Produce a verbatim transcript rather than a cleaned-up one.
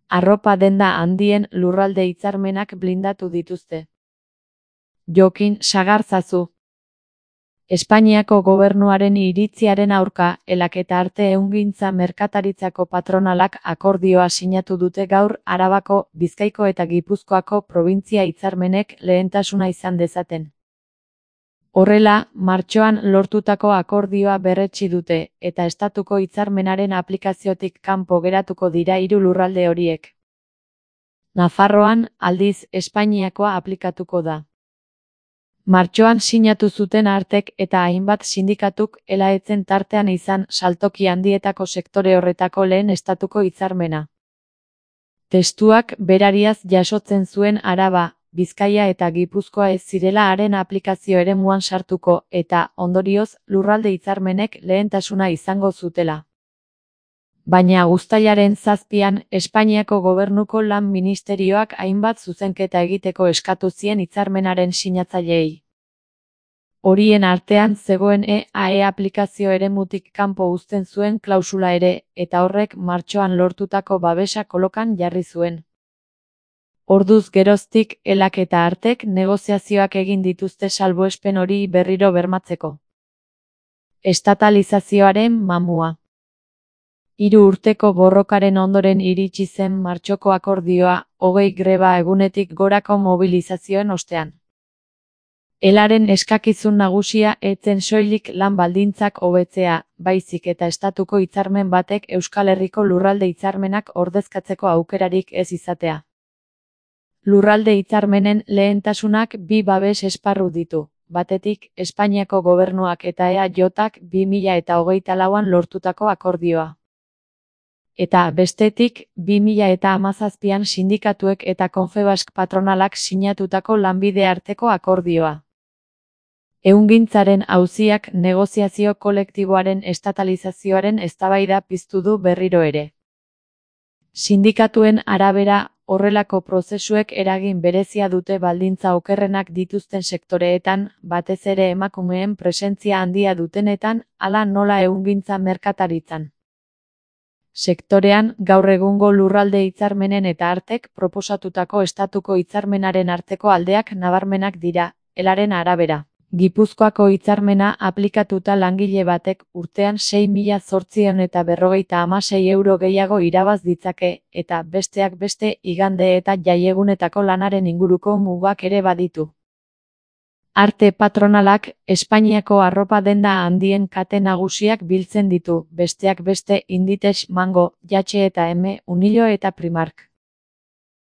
arropa denda handien lurralde hitzarmenak blindatu dituzte. Jokin Sagarzazu. Espainiako gobernuaren iritziaren aurka, elak eta arte ehungintza merkataritzako patronalak akordioa sinatu dute gaur Arabako, Bizkaiko eta Gipuzkoako probintzia hitzarmenek lehentasuna izan dezaten. Horrela, martxoan lortutako akordioa berretsi dute, eta estatuko hitzarmenaren aplikaziotik kanpo geratuko dira hiru lurralde horiek. Nafarroan, aldiz, Espainiakoa aplikatuko da. Martxoan sinatu zuten artek eta hainbat sindikatuk elaetzen tartean izan saltoki handietako sektore horretako lehen estatuko hitzarmena. Testuak berariaz jasotzen zuen Araba, Bizkaia eta Gipuzkoa ez zirela haren aplikazio eremuan sartuko eta, ondorioz, lurralde hitzarmenek lehentasuna izango zutela. Baina uztailaren zazpian, Espainiako gobernuko lan ministerioak hainbat zuzenketa egiteko eskatu zien hitzarmenaren sinatzaileei. Horien artean zegoen E A E aplikazio eremutik kanpo uzten zuen klausula ere, eta horrek martxoan lortutako babesa kolokan jarri zuen. Orduz geroztik, elak eta artek negoziazioak egin dituzte salbuespen hori berriro bermatzeko. Estatalizazioaren mamua. Hiru urteko borrokaren ondoren iritsi zen martxoko akordioa, hogei greba egunetik gorako mobilizazioen ostean. Elaren eskakizun nagusia ez zen soilik lan baldintzak hobetzea, baizik eta estatuko hitzarmen batek Euskal Herriko lurralde hitzarmenak ordezkatzeko aukerarik ez izatea. Lurralde hitzarmenen lehentasunak bi babes esparru ditu, batetik, Espainiako gobernuak eta E A J-ak bi mila eta hogeita lauan lortutako akordioa. Eta, bestetik, bi mila eta hamazazpian sindikatuek eta Confebask patronalak sinatutako lanbide arteko akordioa. Ehungintzaren auziak negoziazio kolektiboaren estatalizazioaren eztabaida piztu du berriro ere. Sindikatuen arabera, horrelako prozesuek eragin berezia dute baldintza okerrenak dituzten sektoreetan, batez ere emakumeen presentzia handia dutenetan, hala nola ehungintza merkataritzan. Sektorean, gaur egungo lurralde hitzarmenen eta artek proposatutako estatuko hitzarmenaren arteko aldeak nabarmenak dira, elaren arabera. Gipuzkoako hitzarmena aplikatuta langile batek urtean sei mila zortziehun eta berrogeita hamasei euro gehiago irabaz ditzake, eta besteak beste igande eta jaiegunetako lanaren inguruko mugak ere baditu. Arte patronalak, Espainiako arropa denda handien kate nagusiak biltzen ditu, besteak beste Inditex, Mango, Jatxe eta M, Unilo eta Primark.